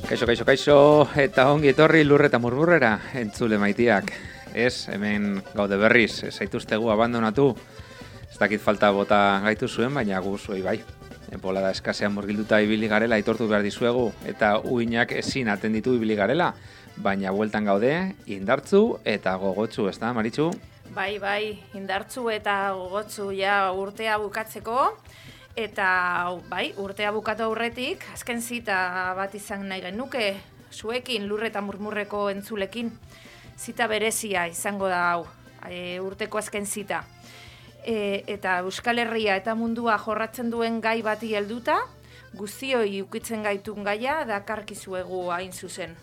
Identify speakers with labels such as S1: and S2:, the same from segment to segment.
S1: Kaixo, eta ongi etorri Lurre eta Murmurrera, entzule maitiak. Ez, hemen gaude berriz, ez zaituztegu abandonatu. Ez dakit falta bota gaitu zuen, baina gu zuei bai. Bolada eskasean murgilduta ibili garela aitortu behar dizuegu, eta uinak ezin atenditu ibili garela. Baina bueltan gaude, indartzu eta gogotsu, ez da, Maritxu?
S2: Bai, indartzu eta gogotsu ja urtea bukatzeko. Eta bai, urtea bukatu aurretik, azken zita bat izan nahi genuke, zuekin, Lurre eta Murmurreko entzulekin. Zita berezia izango da hau, urteko azken zita. Eta Euskal Herria eta mundua jorratzen duen gai bati helduta, guztioi ukitzen gaitun gaia dakarkizuegu hain zuzen.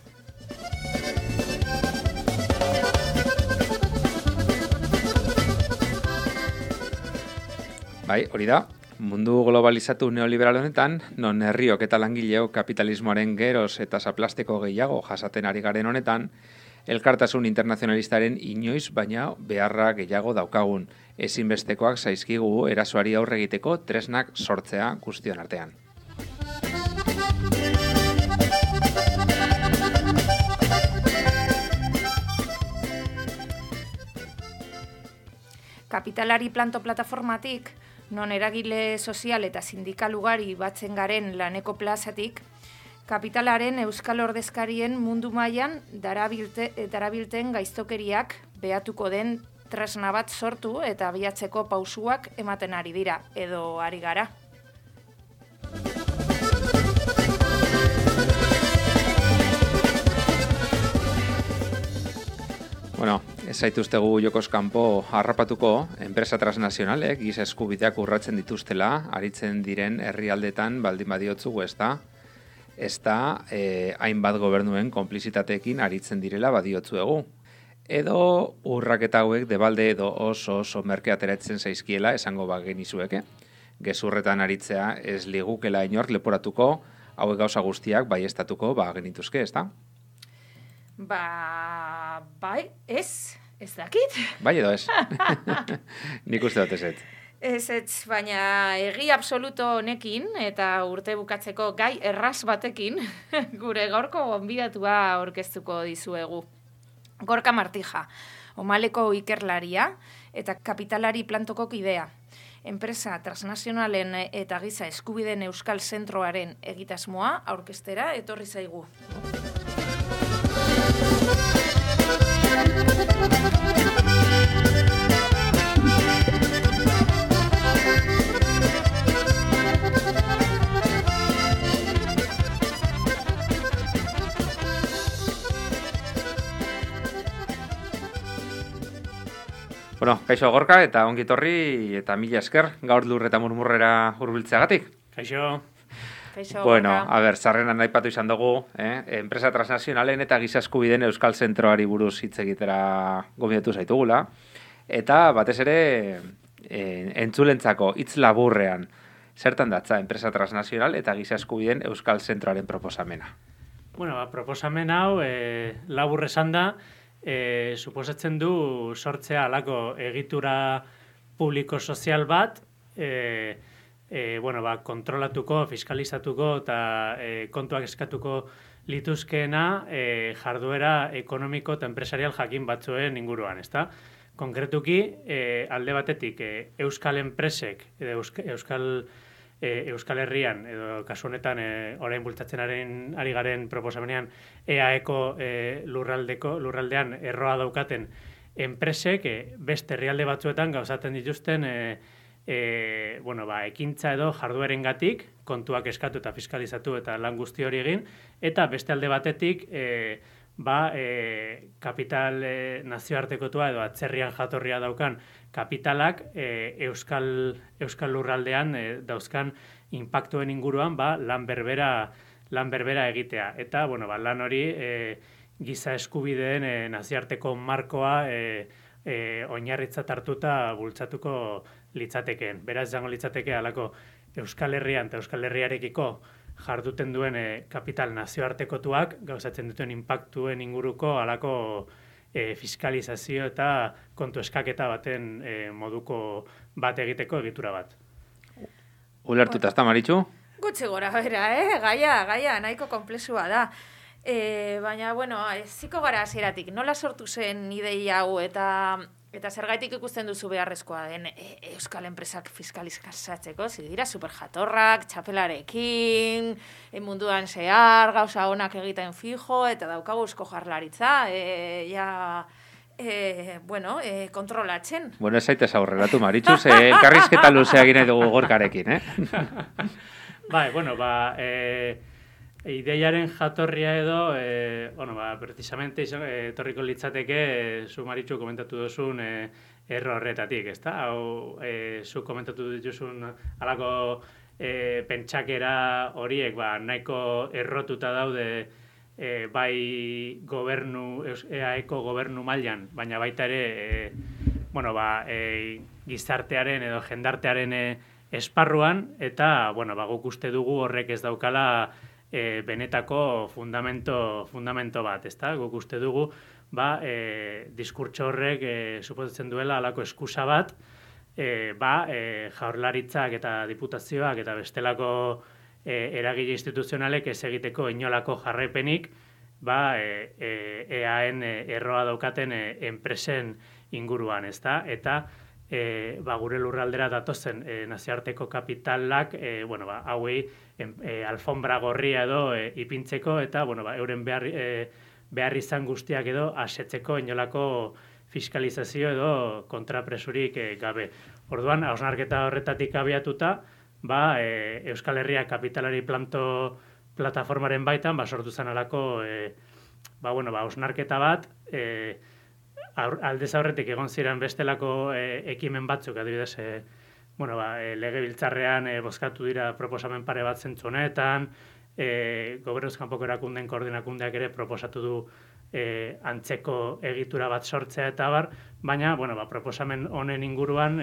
S1: Bai, hori da. Mundu globalizatu neoliberal honetan, non herriok eta langileok kapitalismoaren geroz eta zaplasteko gehiago jasaten ari garen honetan, elkartasun internazionalistaren inoiz baina beharra gehiago daukagun, ezinbestekoak zaizkigu erasoari aurre egiteko tresnak sortzea guztion artean.
S2: Kapitalari planto plataformatik, non eragile sozial eta sindikal ugari batzen garen laneko plazatik, kapitalaren euskal ordezkarien mundu mailan darabilten gaiztokeriak behatuko den tresna bat sortu eta abiatzeko pausuak ematen ari dira, edo ari gara.
S1: Bueno, ez zaituztegu jokoz kanpo harrapatuko, enpresa transnazionalek giza eskubideak urratzen dituztela, aritzen diren herrialdetan baldin badiotzugu ez da, hainbat gobernuen konplizitateekin aritzen direla badiotzuegu. Edo urraketa hauek debalde edo oso merke ateratzen zaizkiela esango bagenizueke. Gezurretan aritzea ez ligukela inork leporatuko, hauek gauza guztiak baiestatuko genituzke, ez da?
S2: Bai, ez dakit.
S1: Bai edo ez. Nik uste dut ez.
S2: Ez, baina egi absoluto honekin eta urte bukatzeko gai erraz batekin gure gaurko gonbidatua aurkeztuko dizuegu. Gorka Martija, Omaleko ikerlaria eta kapitalari plantoko kidea. Enpresa transnazionalen eta giza eskubideen euskal zentroaren egitasmoa aurkeztera etorri zaigu.
S1: Bueno, kaixo Gorka eta ongi etorri eta mila esker gaur Lurre eta Murmurrera hurbiltzeagatik.
S3: Kaixo.
S1: Bueno, a ber, sarrenan aipatu izan dugu, enpresa transnazionalen eta giza eskubideen euskal zentroari buruz hitz egitera gonbidatu zaitugula. Eta batez ere entzulentzako hitz laburrean, zertan datza enpresa transnazional eta giza eskubideen euskal zentroaren proposamena?
S3: Bueno, proposamen hau labur esan da, suposatzen du sortzea halako egitura publiko sozial bat, kontrolatuko, fiskalizatuko eta kontuak eskatuko lituzkeena jarduera ekonomiko eta enpresarial jakin batzuen inguruan, ezta? Konkretuki, alde batetik, euskal enpresek, Euskal Herrian, edo kasu honetan orain bultzatzen ari garen proposamenean EAEko lurraldean erroa daukaten enpresek beste herrialde batzuetan gauzatzen dituzten ekintza edo jarduerengatik kontuak eskatu eta fiskalizatu eta lan guzti hori egin, eta beste alde batetik kapital nazioartekotua edo atzerrian jatorria daukan kapitalak euskal lurraldean dauzkan inpaktuen inguruan lan berbera egitea. Eta lan hori giza eskubideen nazioarteko markoa oinarritzat hartuta bultzatuko litzatekeen. Beraz, izango litzateke halako Euskal Herrian eta Euskal Herriarekiko jarduten duen kapital nazioartekotuak gauzatzen duten inpaktuen inguruko halako fiskalizazio eta kontu eskaketa baten moduko bat egiteko egitura bat.
S1: Ulertuta, ezta, Maritxu?
S2: Gutxi gora bera, gaia nahiko komplexua da. Baina, bueno, ziko gara hasieratik, nola sortu zen ideia hau eta zergaitik ikusten duzu beharrezkoa den euskal enpresak fiskalizatzeko, dira superjatorrak, txapelarekin, munduan zehar, gauza onak egiten fijo, eta daukagu eusko jaurlaritza, kontrolatzen.
S1: Bueno, ez zaitez aurreratu, Maritxus, elkarrizketa luzea gine dugu gorkarekin,
S3: Bai, bueno, ideiaren jatorria edo, precisamente etorriko litzateke, zu Maritxu komentatu duzun erro horretatik, ezta? Hau, zu komentatu dituzun alako pentsakera horiek, nahiko errotuta daude bai EAEko gobernu mailan, baina baita ere, gizartearen edo jendartearen esparruan, eta, guk uste dugu horrek ez daukala benetako fundamento bat, ezta? Guk uste dugu, diskurtso horrek suposatzen duela alako eskusa bat, jaurlaritzak eta diputazioak eta bestelako eragile instituzionalek ez egiteko inolako jarraipenik, EAen erroa daukaten enpresen inguruan, ezta? Eta gure lurraldera datozen nazioarteko kapitalak, hauei alfombra gorria edo ipintzeko eta, euren behar izan guztiak edo asetzeko inolako fiskalizazio edo kontrapresurik gabe. Orduan, hausnarketa horretatik abiatuta, Euskal Herria kapitalari plataformaren baitan, sortu zen alako, hausnarketa bat, aldez aurretik egon ziren bestelako ekimen batzuk, adibidez, legebiltzarrean bozkatu dira proposamen pare bat zentzu honetan, gobernuz kanpoko erakundeen koordinakundeak ere proposatu du antzeko egitura bat sortzea eta bar, baina, proposamen honen inguruan,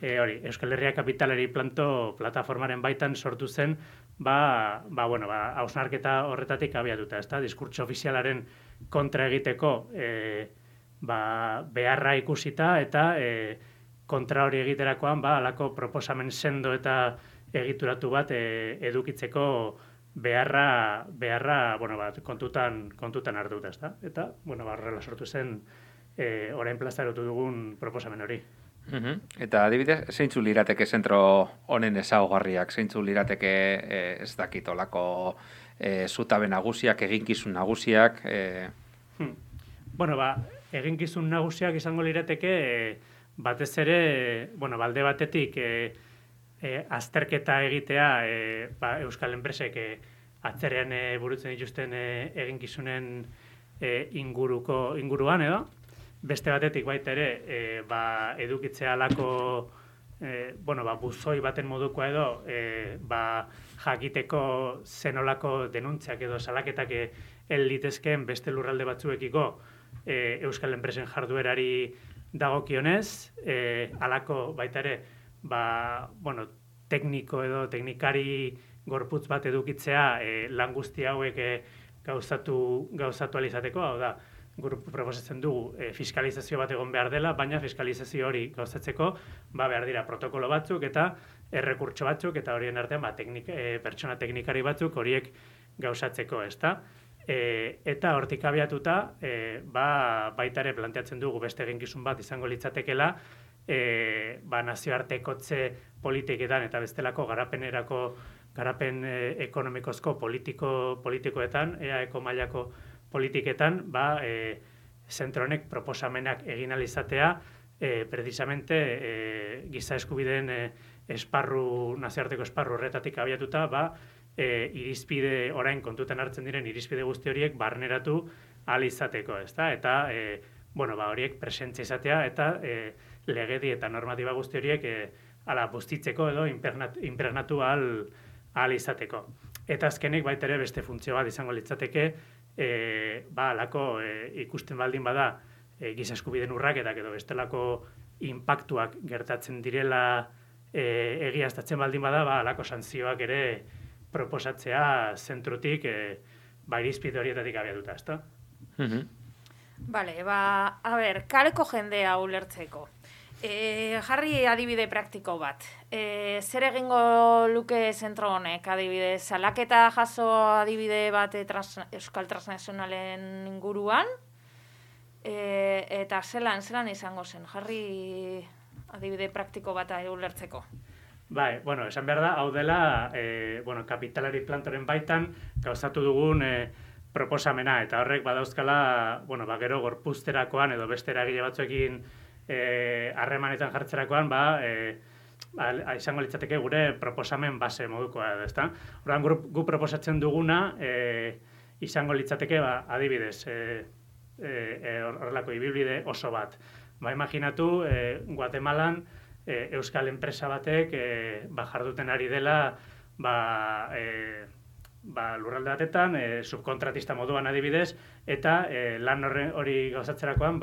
S3: Euskal Herria kapitalari plataformaren baitan sortu zen, hausnarketa horretatik abiatuta, ezta? Diskurtso ofizialaren kontra egiteko beharra ikusita eta kontra hori egiterakoan alako proposamen sendo eta egituratu bat edukitzeko beharra kontutan hartuta, ezta? Eta, horrela sortu zen orain plazaratu dugun proposamen hori.
S1: Eta adibidez, zeintzu lirateke zentro honen ezaugarriak, zeintzu lirateke ez dakitolako zutabe nagusiak, eginkizun nagusiak?
S3: Eginkizun nagusiak izango lirateke batez ere, balde batetik azterketa egitea euskal enpresek atzerean burutzen dituzten eginkizunen inguruan edo. Beste batetik baita ere, edukitzea alako, buzoi baten modukoa edo, jakiteko zenolako denuntziak edo salaketak litezkeen beste lurralde batzuekiko euskal enpresen jarduerari dagokionez, alako baita ere, tekniko edo teknikari gorputz bat edukitzea lan guzti hauek gauzatu alizateko, hau da, proposatzen dugu fiskalizazio bat egon behar dela, baina fiskalizazio hori gauzatzeko behar dira protokolo batzuk eta errekurtso batzuk eta horien artean pertsona teknikari batzuk horiek gauzatzeko, ezta? Eta hortik abiatuta baita ere planteatzen dugu beste eginkizun bat izango litzatekela nazioartekotze politiketan eta bestelako garapen ekonomikozko politikoetan, EAEko mailako politiketan, zentro honek proposamenak egin alizatea, precisamente giza eskubideen nazioarteko esparru horretatik abiatuta, irizpide orain kontutan hartzen diren irizpide guzti horiek barneratu alizateko, ezta? Eta, horiek presentzia izatea eta legedi eta normatiba guzti horiek bustitzeko edo impregnatu alizateko. Eta azkenik baita ere beste funtzio bat izango litzateke, ikusten baldin bada giza eskubideen urraketak edo bestelako inpaktuak gertatzen direla egiaztatzen baldin bada, alako santzioak ere proposatzea zentrutik irizpide horietatik abiatuta, ezta?
S2: Bale, kaleko jendea ulertzeko. Jarri adibide praktiko bat. Zer egingo luke zentro honek adibidez? Salaketa jaso adibide bat Euskal Transnazionalen inguruan? Eta zelan izango zen? Jarri adibide praktiko bat ulertzeko.
S3: Bai, bueno, esan behar da, hau dela, kapitalari plantoren baitan gauzatu dugun proposamena, eta horrek badauzkala, gero gorpuzterakoan edo beste eragile batzuekin harremanetan jartzerakoan, izango litzateke gure proposamen base modukoa edo, ezta? Orduan, gu proposatzen duguna izango litzateke, adibidez, horrelako ibilbide oso bat. Imaginatu, Guatemalan, euskal enpresa batek jarduten ari dela lurralde batetan, subkontratista moduan adibidez, eta lan hori gauzatzerakoan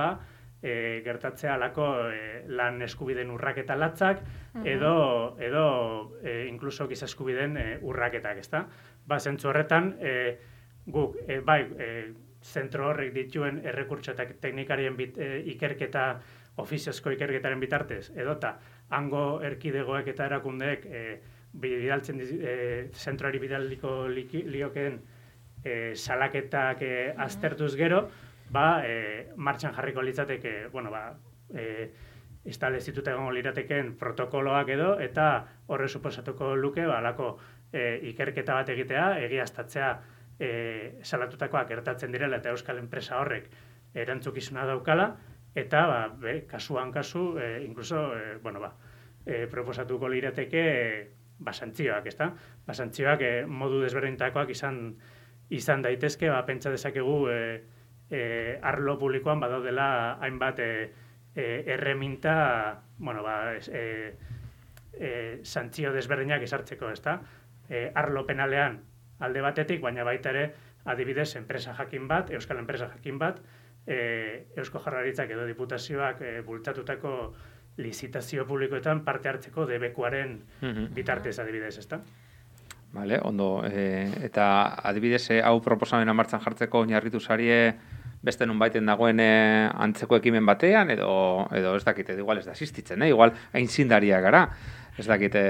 S3: gertatzea alako lan eskubideen urraketa latzak edo inkluso giza eskubideen urraketak, ezta? Zentzu horretan, guk, zentro horrek dituen errekurtso eta teknikarien ikerketa, ofiziozko ikerketaren bitartez, edota hango erkidegoek eta erakundeek bidaltzen zentroari bidaliko liokeen salaketak aztertuz gero, martxan jarriko litzateke, establezituta egongo liratekeen protokoloak edo, eta horre suposatuko luke, alako ikerketa bat egitea, egiaztatzea salatutakoak gertatzen direla eta euskal enpresa horrek erantzukizuna daukala, eta kasuan kasu, inkluso, proposatuko lirateke santzioak, ezta? Santzioak modu desberdintakoak izan daitezke, pentsa dezakegu arlo publikoan badaudela hainbat erreminta, santzio desberdinak ezartzeko, ezta? Arlo penalean alde batetik, baina baita ere, adibidez, enpresa jakin bat, euskal enpresa jakin bat, Eusko Jaurlaritzak edo diputazioak bultzatutako lizitazio publikoetan parte hartzeko debekuaren bitartez adibidez, ezta?
S1: Vale, ondo. Eta adibidez, hau proposamena martxan jartzeko oinarritu zarie beste nunbaiten dagoen antzeko ekimen batean, edo ez dakite, igual ez da existitzen, igual aintzindaria gara, ez dakite,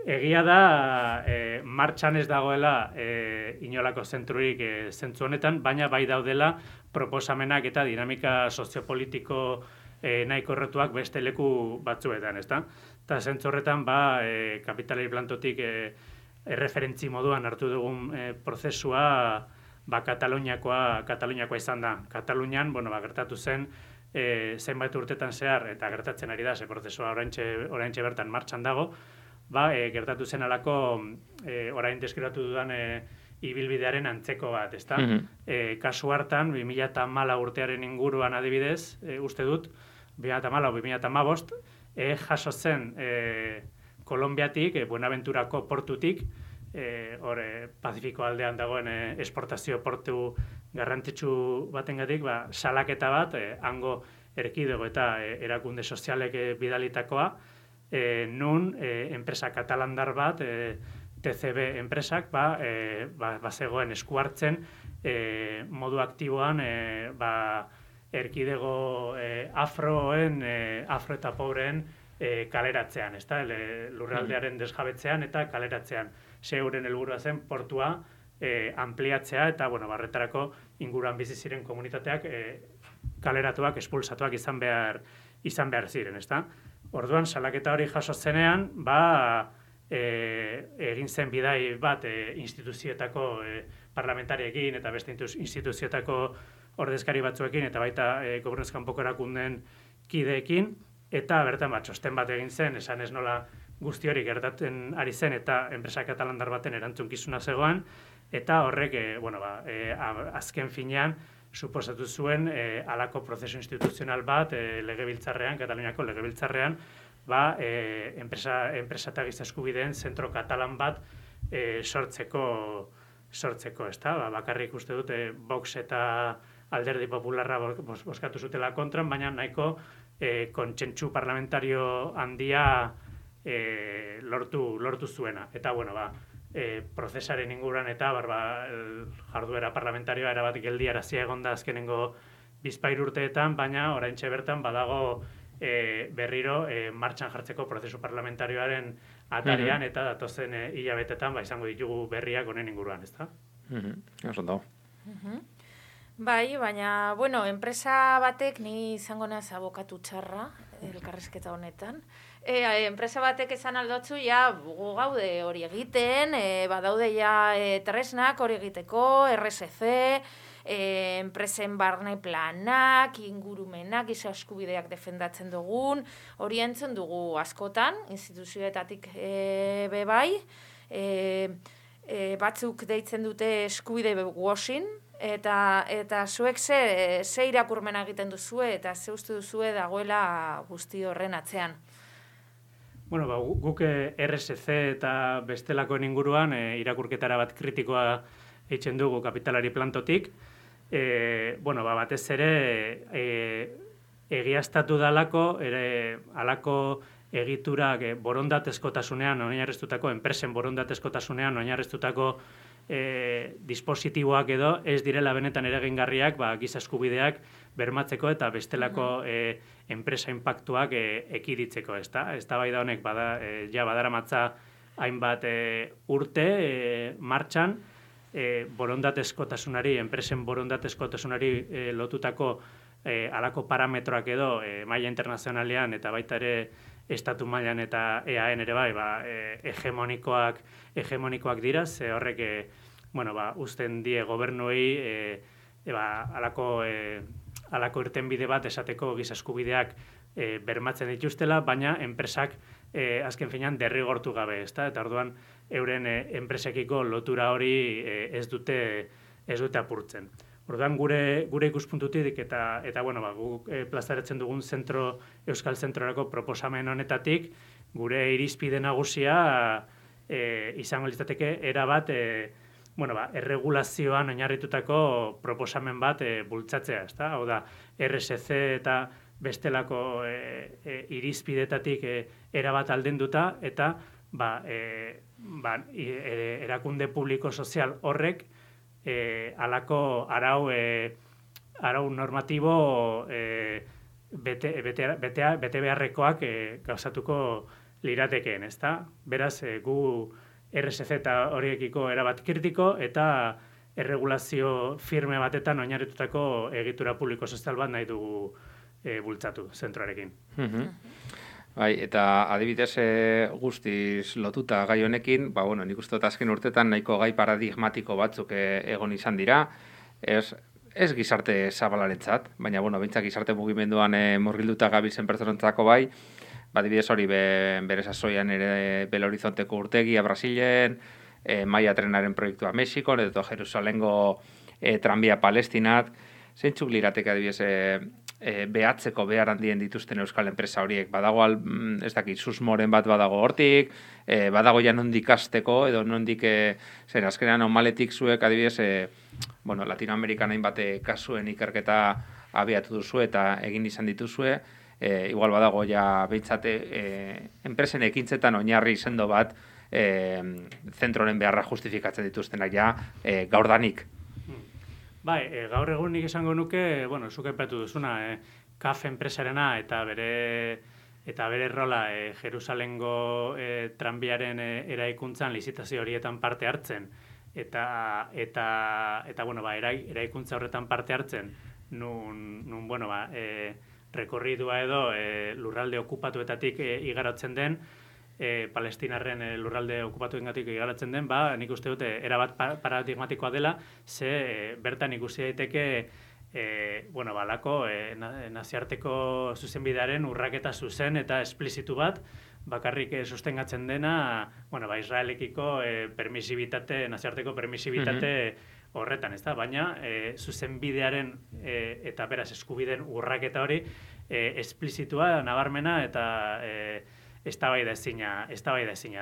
S3: egia da, martxan ez dagoela inolako zentrurik zentzu honetan, baina bai daudela proposamenak eta dinamika soziopolitiko nahiko errotuak beste leku batzuetan, ezta? Eta zentzu horretan, kapitalari plantotik erreferentzi moduan hartu dugun prozesua Kataluniakoa izan da. Katalunian, gertatu zen zenbait urtetan zehar, eta gertatzen ari da, ze prozesua oraintxe bertan martxan dago, gertatu zen alako orain deskribatu dudan ibilbidearen antzeko bat, ezta? Kasu hartan, 2014 urtearen inguruan adibidez, uste dut, 2014-2015, jaso zen Kolonbiatik, Buenaventurako portutik, Pazifiko aldean dagoen esportazio portu garrantzitsu batengatik, salaketa bat, hango erkidego eta erakunde sozialek bidalitakoa, nun enpresa katalandar bat, TCB enpresak, zegoen esku hartzen modu aktiboan erkidego afro eta pobreen kaleratzean, ezta? Lurraldearen desjabetzean eta kaleratzean. Euren helburua zen portua ampliatzea eta, barretarako inguruan bizi ziren komunitateak kaleratuak, espulsatuak izan behar ziren, ezta? Orduan, salaketa hori jaso zenean, egin zen bidai bat instituzioetako parlamentariekin eta beste instituzioetako ordezkari batzuekin eta baita gobernuz kanpoko erakundeen kideekin, eta bertan txosten bat egin zen, esan ez nola guzti hori gertatzen ari zen eta enpresa katalandar baten erantzunkizuna zegoen, eta horrek, azken finean, suposatu zuen halako prozesu instituzional bat legebiltzarrean, Kataluniako legebiltzarrean, enpresa eta giza eskubideen zentro katalan bat sortzeko, ezta? Bakarrik uste dute Vox eta Alderdi Popularra bozkatu zutela kontran, baina nahiko kontsentsu parlamentario handia lortu zuena. Eta, prozesaren inguruan eta jarduera parlamentarioa erabat geldiarazia egon da azkenengo bizpahiru urteetan, baina oraintxe bertan badago berriro martxan jartzeko prozesu parlamentarioaren atarian eta datozen hilabetetan izango ditugu berriak honen inguruan, ezta?
S1: Oso ondo.
S2: Bai, baina, bueno, enpresa batek, ni izango naz abokatu txarra, elkarrizketa honetan. Enpresa batek esan aldotzu, ja, gu gaude hori egiten, badaude ja tresnak hori egiteko, RSC, enpresen barne planak, ingurumenak, giza eskubideak defendatzen dugun, hori entzun dugu askotan, instituzioetatik bai, batzuk deitzen dute eskubide washing, eta zuek ze irakurmena egiten duzue eta ze uste duzue dagoela guzti horren atzean.
S3: Bueno, guk RSC eta bestelakoen inguruan irakurketara bat kritikoa eitzen dugu kapitalari plantotik. Bueno, batez ere egiaztatu dalako, alako egiturak borondatezkotasunean oinarriztutako, enpresen borondatezkotasunean oinarriztutako dispositiboak edo ez direla benetan eragingarriak giza eskubideak bermatzeko eta bestelako enpresa inpaktuak ekiditzeko, ezta? Eztabaida honek badaramatza hainbat urte martxan, borondatezkotasunari, enpresen borondatezkotasunari lotutako alako parametroak edo maila internazionalean eta baita ere estatu mailan eta EAN ere bai, hegemonikoak dira, ze horrek uzten die gobernuei alako irtenbide bat esateko giza eskubideak bermatzen dituztela, baina enpresak azken finean derrigortu gabe, ezta? Eta orduan euren enpresekiko lotura hori ez dute apurtzen. Orduan gure ikuspuntutik eta guk plazaretzen dugun Euskal Zentrorako proposamen honetatik, gure irizpide nagusia izango litzateke erabat erregulazioan oinarritutako proposamen bat bultzatzea, ezta? Hau da, RSC eta bestelako irizpidetatik erabat aldenduta eta erakunde publiko sozial horrek alako arau normatibo bete beharrekoak gauzatuko liratekeen, ezta? Beraz, gu RSC eta horiekiko erabat kritiko eta erregulazio firme batetan oinarritutako egitura publiko sozial bat nahi dugu bultzatu zentroarekin.
S1: Bai, eta adibidez guztiz lotuta gai honekin, nik uste dut azken urtetan nahiko gai paradigmatiko batzuk egon izan dira, ez gizarte zabalarentzat, baina behintzak gizarte mugimenduan murgilduta gabiltzen pertsonentzako bai, adibidez hori bere sasoian ere Belo Horizonteko urtegia Brasilen, Maia trenaren proiektua Mexikon, edo Jerusalengo tranbia Palestinat, zeintzuk lirateke adibidez behatzeko behar handien dituzten euskal enpresa horiek. Badago, ez dakit, susmoren bat badago hortik, badago ja nondik hasteko, edo nondik, zer, azkenean onmaletik zuek, adibidez, Latinoamerikan hainbat kasuen ikerketa abiatu duzu eta egin izan dituzue, igual badago ja behintzate enpresen ekintzetan oinarri sendo bat zentroren beharra justifikatzen dituztenak ja gaurdanik.
S3: Bai, gaur egun nik esango nuke, zuk aipatu duzuna, CAF enpresarena eta bere rola Jerusalengo tranbiaren eraikuntzan lizitazio horietan parte hartzen eta eraikuntza horretan parte hartzen nun rekorridua edo lurralde okupatuetatik igarotzen den, Palestinarren lurralde okupatuengatik igaratzen den, nik uste dute erabat paradigmatikoa dela, ze bertan ikusi daiteke alako naziarteko zuzenbidearen urraketa zuzen eta esplizitu bat, bakarrik sustengatzen dena, Israelekiko naziarteko permisibitate horretan, ezta? Baina zuzenbidearen eta beraz eskubideen urraketa hori esplizitua, nabarmena eta eztabaida ezina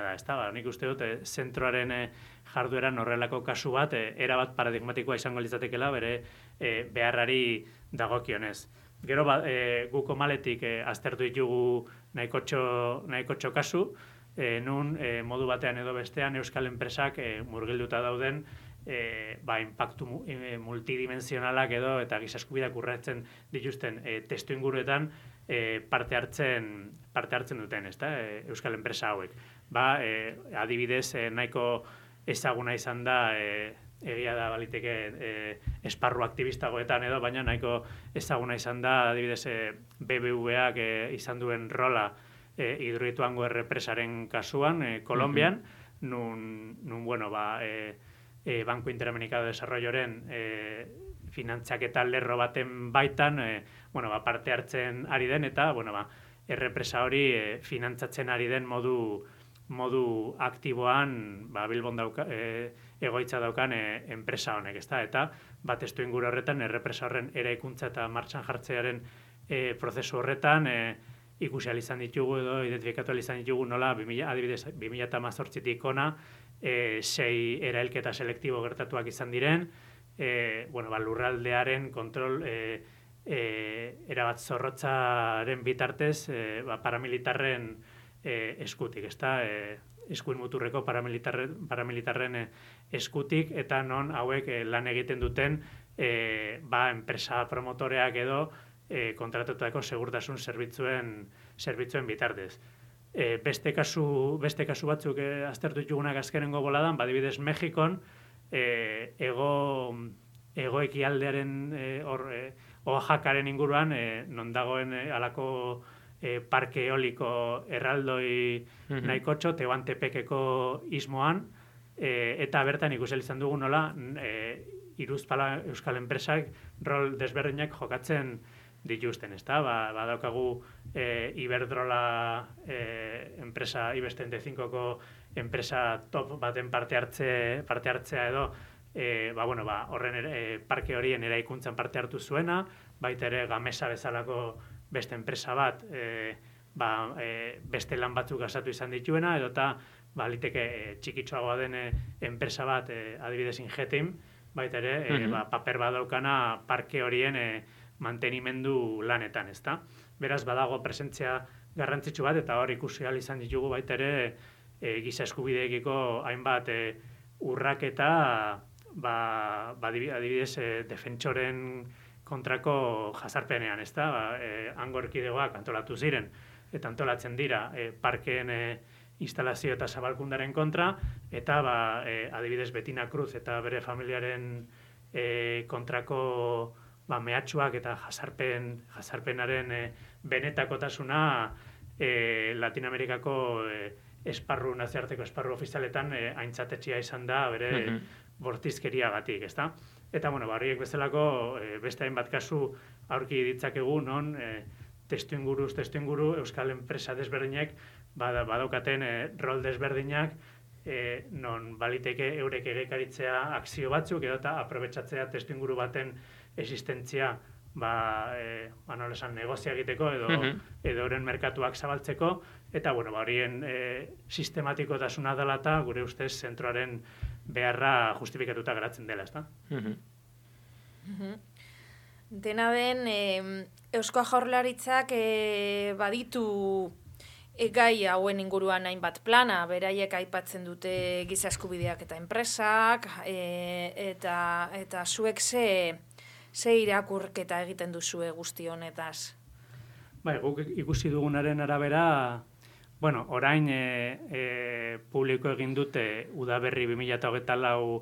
S3: da, ezta? Nik uste dut zentroaren jardueran horrelako kasu bat erabat paradigmatikoa izango litzatekeela bere beharrari dagokionez. Gero guk omaletik aztertu ditugu nahikotxo kasu, nun modu batean edo bestean euskal enpresak murgilduta dauden impactu multidimensionalak edo eta giza eskubideak urratzen dituzten testu inguruetan parte hartzen duten, ezta? Euskal enpresa hauek. Adibidez, nahiko ezaguna izan da, egia da baliteke esparru aktivistagoetan edo, baina nahiko ezaguna izan da, adibidez, BBVak izan duen rola Hidroituango errepresaren kasuan, Kolombian, nun Banco Interamericano de Desarrolloren finantzaketa lerro baten baitan, parte hartzen ari den, eta, errepresa hori finantzatzen ari den modu aktiboan Bilbon egoitza daukan enpresa honek, ezta? Eta testu inguru horretan errepresa horren eraikuntza eta martxan jartzearen prozesu horretan ikusi izan ditugu edo identifikatu izan ditugu nola adibidez 2018tik ona 6 erailketa selektibo gertatuak izan diren, lurraldearen kontrol erabat zorrotzaren bitartez paramilitarren eskutik, ezta? Eskuin muturreko paramilitarren eskutik, eta non hauek lan egiten duten enpresa promotoreak edo kontratutako segurtasun zerbitzuen bitartez. Beste kasu batzuk aztertu ditugunak azkenengo boladan, adibidez Mexikon, egoekialdearen Oaxacaren inguruan, non dagoen halako parke eoliko erraldoi nahikotxo, Tehuantepekeko ismoan, eta bertan ikusi izan dugu nola hiruzpala euskal enpresak rol desberdinak jokatzen dituzten, ezta? Badaukagu Iberdrola enpresa I-35ko enpresa top baten parte hartzea edo horren parke horien eraikuntzan parte hartu zuena, baita ere Gamesa bezalako beste enpresa bat beste lan batzuk gasatu izan dituena, edota baliteke txikitxoagoa den enpresa bat, adibidez Ingetim, baita ere paper badaukana parke horien mantenimendu lanetan, ezta? Beraz, badago presentzia garrantzitsu bat, eta hor ikusi ahal izan ditugu baita ere giza eskubideekiko hainbat urraketa, adibidez defentsoren kontrako jazarpenean, ezta? Hango erkidegoak antolatu ziren, eta antolatzen dira parkeen instalazio eta zabalkundaren kontra, eta adibidez Betina Cruz eta bere familiaren kontrako mehatxuak eta jazarpenaren benetakotasuna Latinoamerikako nazioarteko esparru ofizialetan aintzatetxea izan da bere bortizkeriagatik, ezta? Eta, horiek bezalako beste hainbat kasu aurki ditzakegu non testu inguru euskal enpresa desberdinak badaukaten rol desberdinak non baliteke eurek egekaritzea akzio batzuk edo eta aprobetxatzea testu inguru baten existentzia negozia egiteko edo euren merkatuak zabaltzeko, eta horien sistematikotasuna dela eta gure ustez zentroaren beharra justifikatuta geratzen dela, ezta?
S2: Dena den, Eusko Jaurlaritzak baditu gai hauen inguruan hainbat plana, beraiek aipatzen dute giza eskubideak eta enpresak, eta zuek ze irakurketa egiten duzue guzti honetaz?
S3: Guk ikusi dugunaren arabera, orain publiko egin dute Udaberri 2024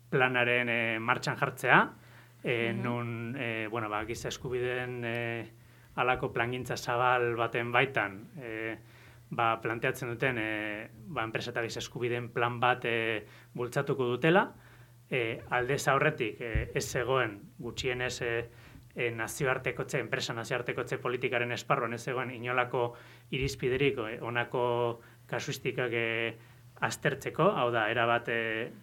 S3: planaren martxan jartzea, nun giza eskubideen halako plangintza zabal baten baitan planteatzen duten enpresa eta giza eskubideen plan bat bultzatuko dutela, aldez aurretik ez zegoen gutxienez enpresa nazioartekotze politikaren esparruan ez zegoen inolako irizpiderik honako kasuistikak aztertzeko, hau da, erabat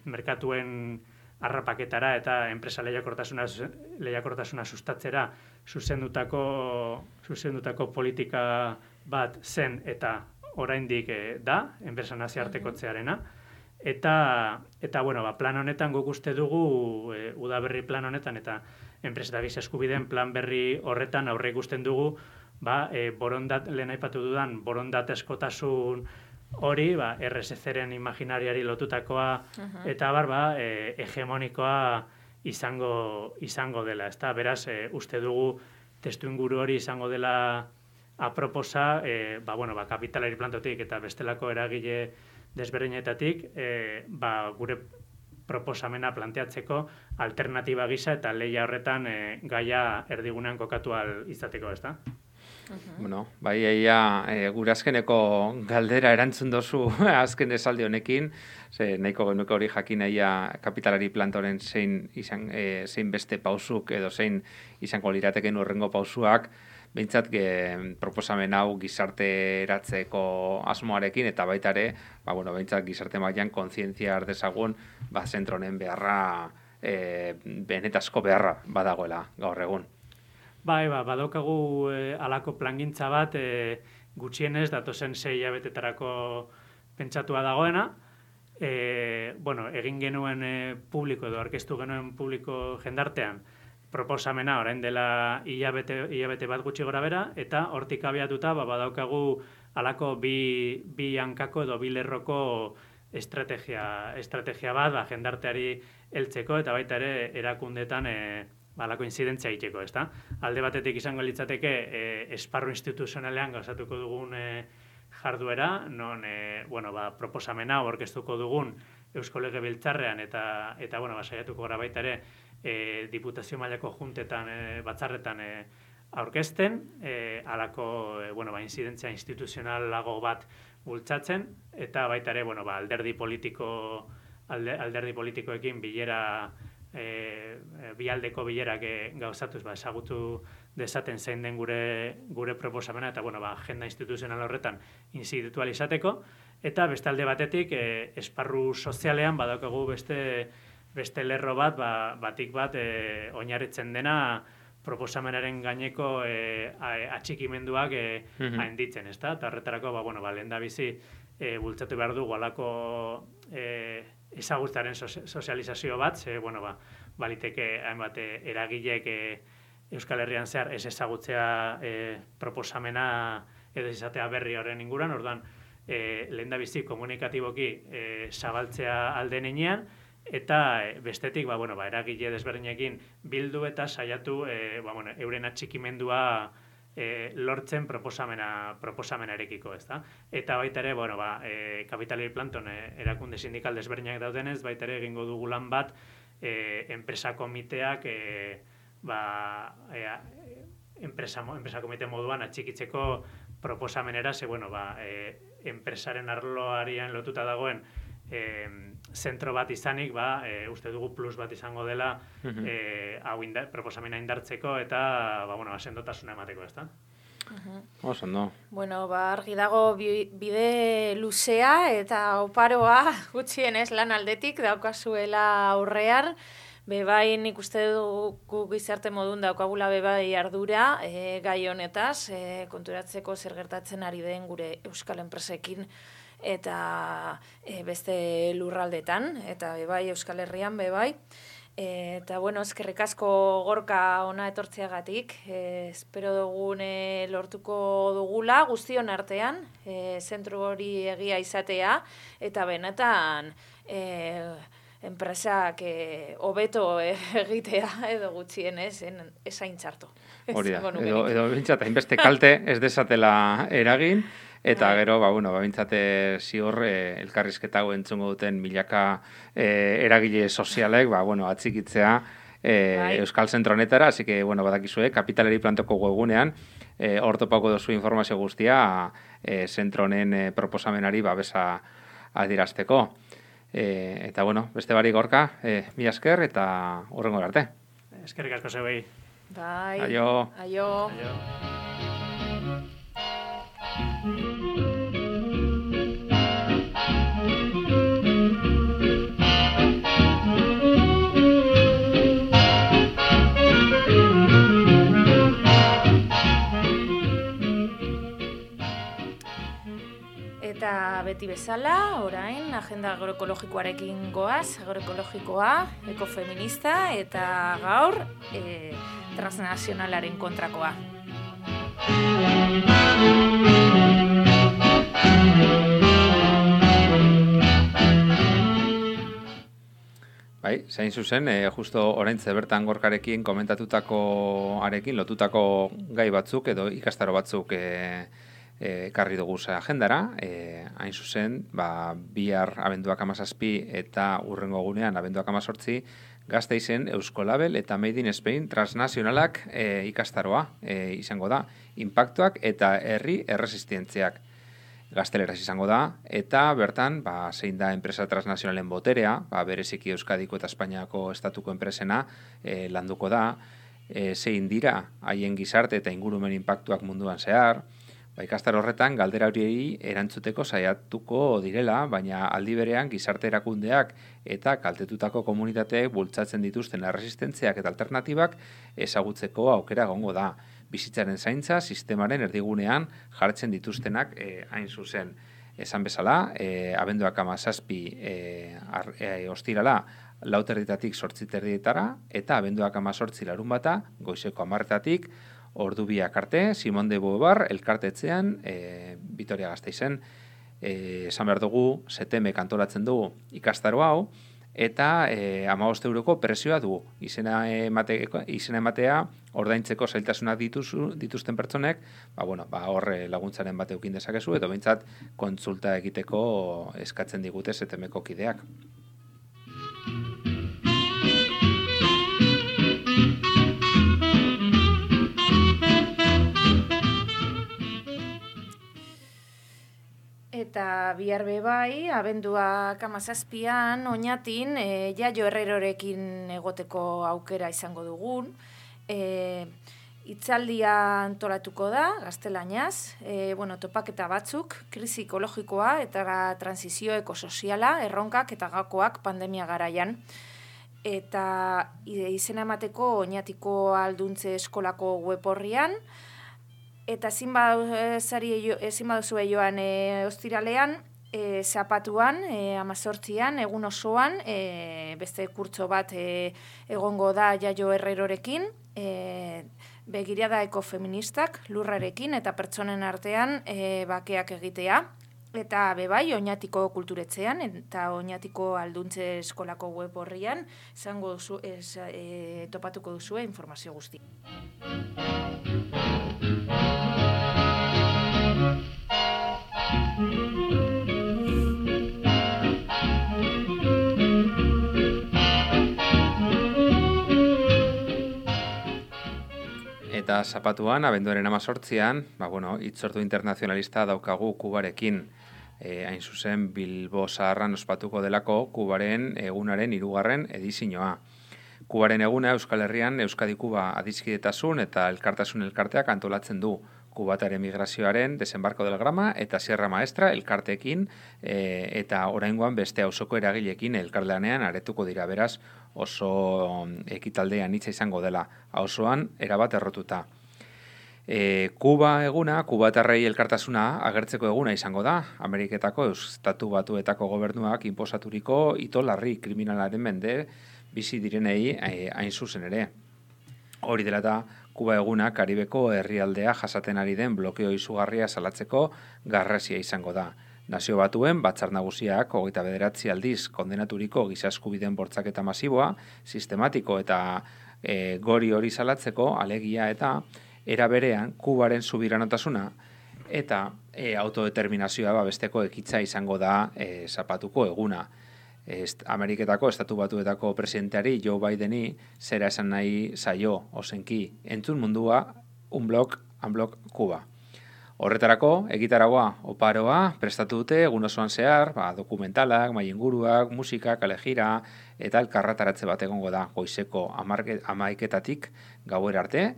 S3: merkatuen harrapaketara eta enpresa lehiakortasuna sustatzera zuzendutako politika bat zen eta oraindik da, enpresa nazioartekotzearena. Eta plan honetan guk uste dugu, Udaberri plan honetan eta enpresa eta giza eskubideen plan berri horretan aurre ikusten dugu, lehen aipatu dudan borondatezkotasun hori, RSC-ren imaginariari lotutakoa, eta hegemonikoa izango dela, ezta? Beraz, uste dugu testu inguru hori izango dela aproposa, kapitalari plantotik eta bestelako eragile desberdinetatik, gure proposamena planteatzeko alternatiba gisa eta lehia horretan gaia erdigunean kokatu izateko, ezta?
S1: Bueno, gure azkeneko galdera erantzun dozu azken esaldi honekin, nahiko genuke hori jakin kapitalari plantoren zein beste pausuk edo zein izango lirateken urrengo pausuak, behintzat proposamen hau gizarteratzeko asmoarekin eta baita ere, behintzat gizarte mailan kontzientzia ardezagun, zentronen beharra, benetazko beharra badagoela gaur egun.
S3: Badaukagu alako plangintza bat gutxienez datozen 6 hilabetetarako pentsatua dagoena. Egin genuen publiko edo aurkeztu genuen publiko jendartean proposamena orain dela hilabete bat gutxi gora bera, eta hortik abiatuta badaukagu alako bi hankako edo bi lerroko estrategia bat jendarteari heltzeko eta baita ere erakundetan alako inzidentzia egiteko, ezta? Alde batetik izango litzateke esparru instituzionalean gauzatuko dugun jarduera, non proposamena aurkeztuko dugun Eusko Legebiltzarrean eta saiatuko gara baita ere diputazio mailako juntetan, batzarretan aurkezten, halako inzidentzia instituzionalago bat bultzatzen, eta baita ere alderdi politikoekin bilera bialdeko bilerak gauzatuz ezagutu dezaten zein den gure proposamena eta agenda instituzional horretan institualizateko, eta beste alde batetik esparru sozialean badaukagu beste lerro batik bat oinarritzen dena proposamenaren gaineko atxikimenduak hainditzen, ezta? Eta horretarako lehendabizi bultzatu behar dugu alako ezagutzaren sozializazio bat, baliteke hainbat eragilek Euskal Herrian zehar ez ezagutzea proposamena edo izatea berri horren inguruan, orduan lehendabizi komunikatiboki zabaltzea alden enean, eta bestetik eragile desberdinekin bildu eta saiatu euren atxikimendua lortzen proposamenarekiko, ezta? Eta baita ere, kapitalari planton erakunde sindikal desberdinak daudenez, baita ere egingo dugu lan bat enpresa komiteak enpresa komite moduan atxikitzeko proposamenera, enpresaren arloarian lotuta dagoen zentro bat izanik, uste dugu plus bat izango dela proposamena indartzeko eta sendotasuna emateko, ezta?
S1: Oso, no.
S2: Argi dago bide luzea eta oparoa gutxienez lan aldetik daukazuela aurrean. Bebai nik uste dugu gizarte modun daukagula bebai ardura gai honetaz, konturatzeko zer gertatzen ari den gure euskal enpresekin eta beste lurraldetan, eta bebai Euskal Herrian bebai. Eta eskerrik asko Gorka ona etortzeagatik, espero dugune lortuko dugula guztion artean, zentru hori egia izatea, eta benetan enpresak hobeto egitea edo gutxienez esain txarto.
S1: Hori da, edo bintzat, hainbeste kalte ez desatela eragin, eta gero, bintzate zior elkarrizketa hau entzungo duten milaka eragile sozialek, atzikitzea Euskal Zentro honetara, así que, badakizue, kapitalari plantoko webgunean, hor topako dozu informazio guztia zentro honen proposamenari babesa adierazteko. Eta, beste barik Gorka, mila esker eta hurrengo arte.
S3: Eskerrik asko zeuei.
S2: Bai.
S1: Aio.
S2: Aio. Eta beti bezala, orain, agenda agroekologikoarekin goaz, agroekologikoa, ekofeminista, eta gaur, transnazionalaren kontrakoa.
S1: Bai, zain zuzen, justo oraintze bertan Gorkarekin komentatutako arekin lotutako gai batzuk edo ikastaro batzuk ekarri dugu agendara, hain zuzen, bihar abenduak 17 eta hurrengo egunean abenduak 18 Gasteizen Euskolabel eta Made in Spain transnazionalak ikastaroa izango da, inpaktuak eta herri erresistentziak. Gazteleraz izango da, eta bertan, zein da enpresa transnazionalen boterea, bereziki Euskadiko eta Espainiako estatuko enpresena landuko da, zein dira haien gizarte eta ingurumen inpaktuak munduan zehar, ikastaro horretan galdera horiei erantzuteko saiatuko direla, baina aldi berean gizarte erakundeak eta kaltetutako komunitateek bultzatzen dituzten erresistentziak eta alternatibak ezagutzeko aukera egongo da. Bizitzaren zaintza sistemaren erdigunean jartzen dituztenak hain zuzen. Esan bezala, abenduak 17 ostirala 4:00 8:30 eta abenduak 18 larunbata goizeko 10:00 ordu biak arte, Simon de Beauvoir elkartetzean, Vitoria Gasteizen, esan behar dugu, setemek antolatzen dugu ikastaro hau, eta 15 euroko prezioa du. Izena ematea ordaintzeko zailtasunak dituzten pertsonek, hor laguntzaren bat eukin dezakezu, edo behintzat kontsulta egiteko eskatzen digute setemeko kideak.
S2: Eta bihar bai, abenduak 17an, Oñatin, Jaio Herrerorekin egoteko aukera izango dugun. Hitzaldia antolatuko da, gaztelaniaz, topaketa batzuk, krisi ekologikoa eta transizio ekosoziala, erronkak eta gakoak pandemia garaian. Eta izena emateko Oñatiko Alduntze Eskolako web orrian, eta ezin baduzue joan ostiralean, zapatuan, 18an, egun osoan, beste kurtso bat egongo da Jaio Herrerorekin, begirada ekofeministak, lurrarekin eta pertsonen artean bakeak egitea. Eta bebai, Oñatiko kulturetzean eta Oñatiko Alduntze Eskolako web orrian topatuko duzue informazio guzti.
S1: Eta zapatuan, abenduaren 18an, hitzordu internazionalista daukagu Kubarekin. Hain zuzen, Bilbo Zaharran ospatuko delako Kubaren egunaren 3. edizioa. Kubaren eguna Euskal Herrian Euskadi-Kuba adiskidetasun eta elkartasun elkarteak antolatzen du. Kubataren migrazioaren desembarko del Grama eta Sierra Maestra elkarteekin eta oraingoan beste auzoko eragileekin elkarlanean aretuko dira, beraz oso ekitaldean hitza izango dela, auzoan erabat errotuta. Kuba eguna, kubatarrei elkartasuna agertzeko eguna izango da, Ameriketako Estatu Batuetako gobernuak inposaturiko ito larri kriminalaren mende bizi direnei hain zuzen ere. Hori dela eta Kuba eguna Karibeko herrialdea jasaten ari den blokeo izugarria salatzeko garrasia izango da. Nazio Batuen Batzar Nagusiak 29 aldiz kondenaturiko giza eskubideen bortxaketa masiboa, sistematiko eta gori hori salatzeko alegia eta era berean Kubaren subiranotasuna eta autodeterminazioa besteko ekitza izango da zapatuko eguna. Ameriketako Estatu Batuetako presidenteari Joe Bideni zera esan nahi zaio ozenki entzun mundua unblok Kuba. Horretarako, egitaragua oparoa prestatu dute egun osoan zehar, dokumentalak, maienguruak, musika, kalejira eta elkarrataratze bat egongo da goizeko 11:00 gauera arte,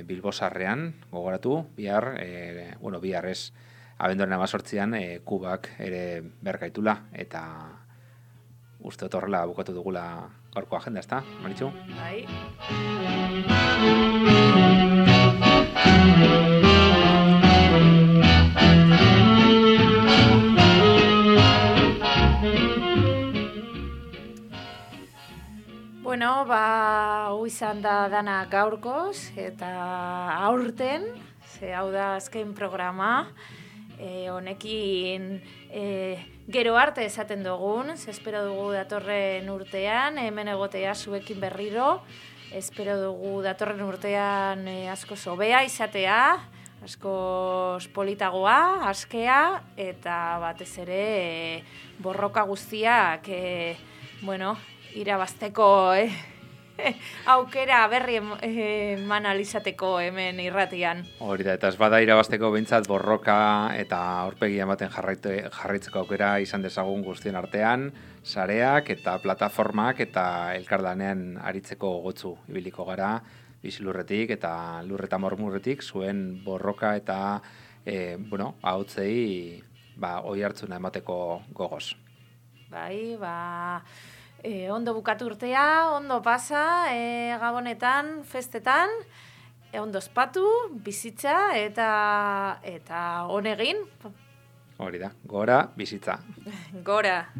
S1: Bilbo Zaharrean gogoratu, bihar ez, abenduaren 18an Kubak ere bergaitula eta uste dut horrela bukatu dugula gaurko agenda, ezta, Maritxu?
S2: Bai. Hau izan da dana gaurkoz eta aurten, hau da azken programa, honekin gero arte esaten dugun, espero dugu datorren urtean, hemen egotea zuekin berriro, espero dugu datorren urtean asko hobea izatea, asko politagoa, askea, eta batez ere borroka guztiak, irabazteko aukera berri eman alizateko hemen irratian.
S1: Hori da, eta ez bada irabazteko behintzat borroka eta aurpegia ematen jarraitzeko aukera izan dezagun guztien artean, sareak eta plataformak eta elkarlanean aritzeko gotzu ibiliko gara, bizilurretik eta lurreta mormurretik zuen borroka eta ahotsei oi hartzuna emateko gogoz.
S2: Bai, ondo bukatu urtea, ondo pasa, gabonetan, festetan, ondo ospatu, bizitza eta honegin.
S1: Hori da, gora bizitza.
S2: Gora.